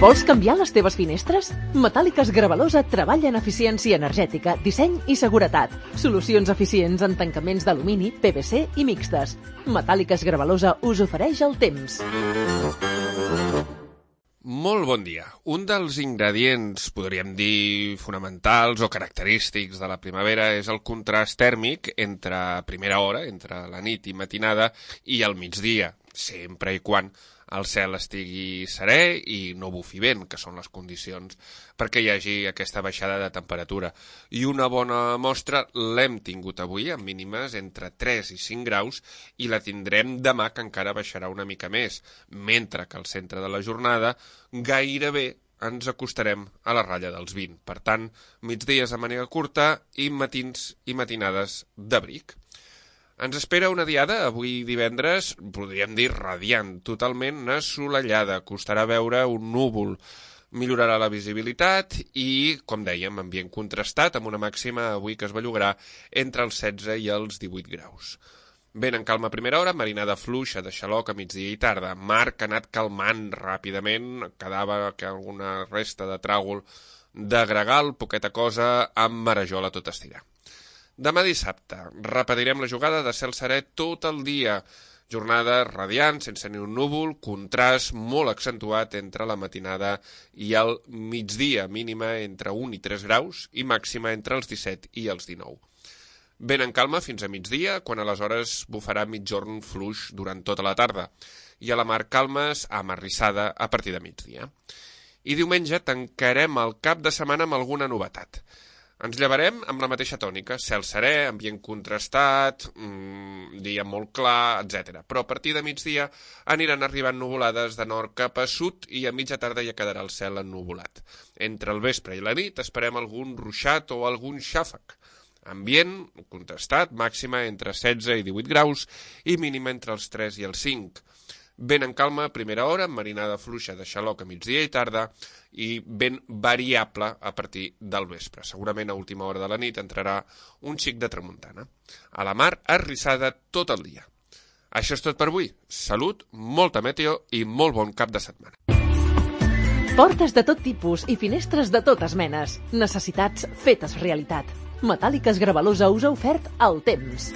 Vols canviar les teves finestres? Metàl·liques Gravalosa treballa en eficiència energètica, disseny i seguretat. Solucions eficients en tancaments d'alumini, PVC i mixtes. Metàl·liques Gravalosa us ofereix el temps. Molt bon dia. Un dels ingredients, podríem dir, fonamentals o característics de la primavera és el contrast tèrmic entre primera hora, entre la nit i matinada, i el migdia, sempre i quan el cel estigui serè i no bufi vent, que són les condicions perquè hi hagi aquesta baixada de temperatura. I una bona mostra l'hem tingut avui, amb mínimes entre 3 i 5 graus, i la tindrem demà, que encara baixarà una mica més, mentre que al centre de la jornada gairebé ens acostarem a la ratlla dels 20. Per tant, migdies de màniga curta i matins i matinades d'abric. Ens espera una diada, avui divendres, podríem dir radiant, totalment assolellada. Costarà veure un núvol, millorarà la visibilitat i, com dèiem, ambient contrastat, amb una màxima avui que es bellugarà entre els 16 i els 18 graus. Vent en calma a primera hora, marinada fluixa de xaloc a migdia i tarda. Mar que ha anat calmant ràpidament, quedava alguna resta de tràgol de gregal, poqueta cosa, amb marejol a tot estirar. Demà dissabte repetirem la jugada de cel serè tot el dia. Jornada radiant, sense ni un núvol, contrast molt accentuat entre la matinada i el migdia, mínima entre 1 i 3 graus i màxima entre els 17 i els 19. Vent en calma fins a migdia, quan aleshores bufarà migjorn fluix durant tota la tarda, i a la mar calmes amarrissada a partir de migdia. I diumenge tancarem el cap de setmana amb alguna novetat. Ens llevarem amb la mateixa tònica, cel serè, ambient contrastat, dia molt clar, etc. Però a partir de migdia aniran arribant nuvolades de nord cap a sud i a mitja tarda ja quedarà el cel ennuvolat. Entre el vespre i la nit esperem algun ruixat o algun xàfec. Ambient contrastat, màxima entre 16 i 18 graus i mínima entre els 3 i els 5. Vent en calma a primera hora, amb marinada fluixa de xaloc a migdia i tarda i vent variable a partir del vespre. Segurament a última hora de la nit entrarà un xic de tramuntana. A la mar, arrissada tot el dia. Això és tot per avui. Salut, molta meteo i molt bon cap de setmana. Portes de tot tipus i finestres de totes menes. Necessitats fetes realitat. Metàl·liques Gravalosa us ha ofert el temps.